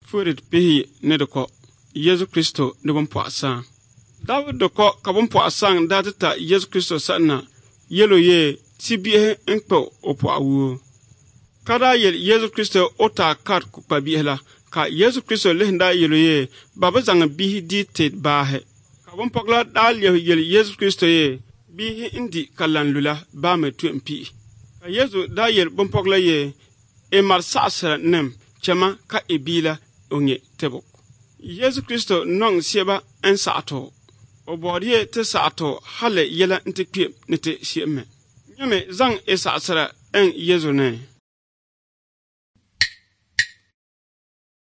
Furit pihiyi ni di kɔ Yesu Kristo ni bimpɔɣu saŋ. Dabi di kɔ ka bimpɔɣu saŋ daa ti ta Yesu Kristo sani na yɛl o yee ti bihi n-kpe o pɔɣu wuo. Ka daa yɛli Yesu Kristo o taa kari kukpabihi la, ka Yesu Kristo lihi daa yɛl o yee ba bi zaŋ bihi di ti baahi. Ka bimpɔgila daa lɛbi yɛli Yesu Kristo yee bihi n-di ka lan lula baa mi tu m-pihi. Ka Yesu daa yɛli bimpɔgila yee i mari saɣisira nim chɛma ka i bia la o nyɛ tibu. Yesu Kristo nɔŋ sieba n-saɣi ti o. O bɔri ye ti saɣi ti o hali yɛla nti kpem ni ti se'em mi. Nyami zaŋ i saɣisira n Yesu ni.